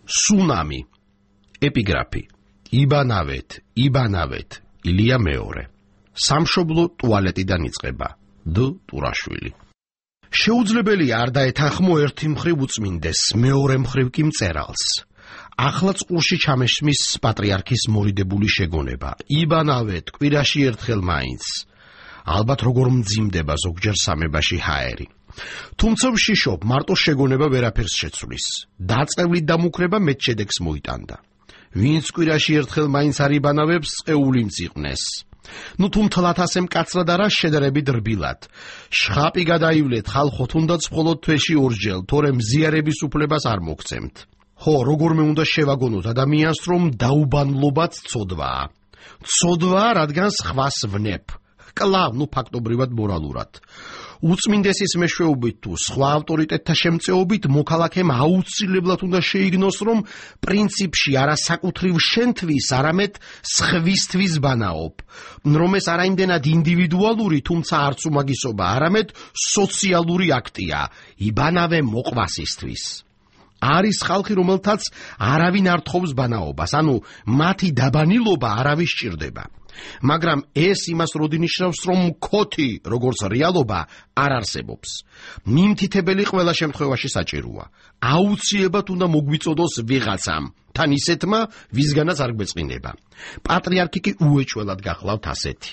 სუნამი. ეპიგრაფი. იბანავეთ, ილია მეორე. სამშობლო ტუალეტიდან იწყება. დ. ტურაშვილი. შეუძლებელია არ დაეთანხმო ერთი მხრივ უწმინდეს, მეორე მხრივ კი მწერალს. ახლა წყურში ჩამესმის პატრიარქის მორიდებული შეგონება. იბანავეთ, კვირაში ერთხელ მაინც. ალბათ როგორ მძიმდება ზოგჯერ სამებაში ჰაერი. თუმცა ვშიშობ, მარტო შეგონება ვერაფერს შეცვლის. დაწევლით დამუქრება მეტ შედეგს მოიტანდა. ვინც კვირაში ერთხელ მაინც არ იბანავებს, წეული მწიყნეს. ნუ თუ მთლად ასე მკაცრად არა, შედარებით რბილად. შხაპი გადაივლეთ, ხალხო, თუნდაც მხოლოდ თვეში ორჯერ, თორე მზიარების უფლებას არ მოგცემთ. ხო, როგორმე უნდა შევაგონოთ ადამიანს, რომ დაუბანლობაც ცოდვაა. ცოდვაა, რადგან სხვას ვნებ. კლავ, ნუ ფაქტობრივად მორალურად. უწმინდესის მეშვეობით თუ სხვა ავტორიტეტთა შემწეობით მოქალაქემ აუცილებლად უნდა შეიგნოს, რომ პრინციპში არა საკუთრივ შენთვის, არამედ სხვისთვის ბანაობ, რომ ეს არაიმდენად ინდივიდუალური, თუმცა არც უმაგისობა, არამედ სოციალური აქტია, იბანავე მოყვასისთვის. არის ხალხი, რომელთაც არავინ არ თხოვს ბანაობას, ანუ მათი დაბანილობა არავის სჭირდება. მაგრამ ეს იმას როდი ნიშნავს, რომ მქოთი, როგორც რეალობა, არ არსებობს. მიმთითებელი ყველა შემთხვევაში საჭიროა. აუცილებლად უნდა მოგვიწოდოს ვიღაცამ, თან ისეთმა, ვისგანაც არ გვეწყინება. პატრიარქი კი უეჭველად გახლავთ ასეთი.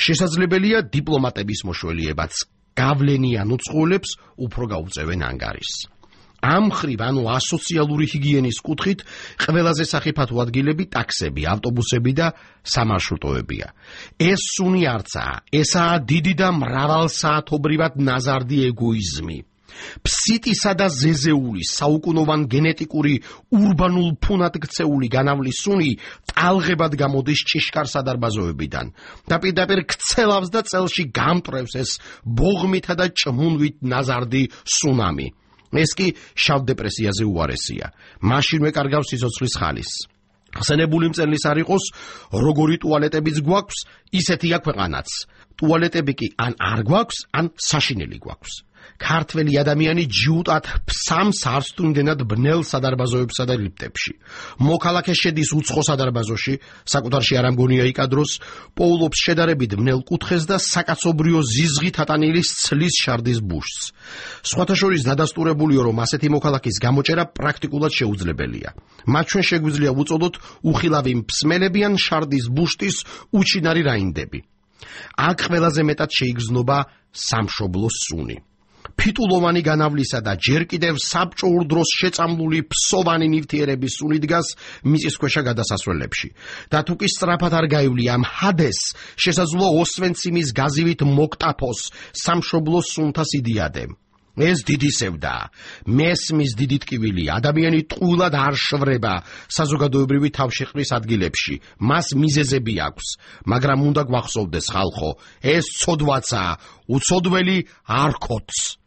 შესაძლებელია დიპლომატების მოშველიებაც გავლენიან უწყლებს უფრო გაუწევენ ანგარიშს. ამ მხრივ, ანუ ასოციალური ჰიგიენის კუთხით, ყველაზე სახიფათო ადგილები ტაქსები, ავტობუსები და სამარშრუტოებია. ეს სუნი არცაა, ესაა დიდი და მრავალსაათობრივად ნაზარდი ეგოიზმი. ფსიტისა და ზეზეულის საუკუნოვან გენეტიკური ურბანულ ფუნად ქცეული განავლის სუნი ტალღებად გამოდის ჭიშკარ სადარბაზოებიდან და პირდაპირ ქცელავს და წელში გამტრევს ეს ბოღმითა და ჭმუნვით ნაზარდი სუნამი. ეს კი შავ დეპრესიაზე უარესია. მაშინვე კარგავს სიცოცხლის ხალის. ხსენებული მწერლის არ იყოს, როგორი ტუალეტებიც გვაქვს, ისეთია ქვეყანაც. ტუალეტები კი ან არ გვაქვს, ან საშინელი გვაქვს. ქართველი ადამიანი ჯიუტად ფსამს არც თუ იმდენად ბნელ სადარბაზოებსა და ლიფტებში. მოქალაქე შედის უცხო სადარბაზოში, საკუთარში არ ამგონია იკადროს, პოულობს შედარებით ბნელ კუთხეს და საკაცობრიო ზიზღით ატანილი ცლის შარდის ბუშს. სხვათა შორის დადასტურებულიო, რომ ასეთი მოქალაქის გამოჭერა პრაქტიკულად შეუძლებელია. მათ ჩვენ შეგვიძლია ვუწოდოთ უხილავი მსმელები ან შარდის ბუშტის უჩინარი რაინდები. აქ ყველაზე მეტად შეიგრძნობა სამშობლო სუნი. ფიტულოვანი განავლისა და ჯერ კიდევ საბჭოურ დროს შეწამლული ფსოვანი ნივთიერების სუნი დგას მიწისქვეშა გადასასვლელებში. და თუ კი სწრაფად არ გაივლია ამ ჰადეს, შესაძლოა ოსვენციმის გაზივით მოკტაფოს სამშობლო სუნთა სიდიადე. ეს დიდი სევდაა. მესმის დიდი ტკივილი, ადამიანი ტყუილად არ შვრება საზოგადოებრივი თავშეყრის ადგილებში. მას მიზეზები აქვს, მაგრამ უნდა გვახსოვდეს ხალხო, ეს ცოდვაცაა, უცოდველი არ ქოთს.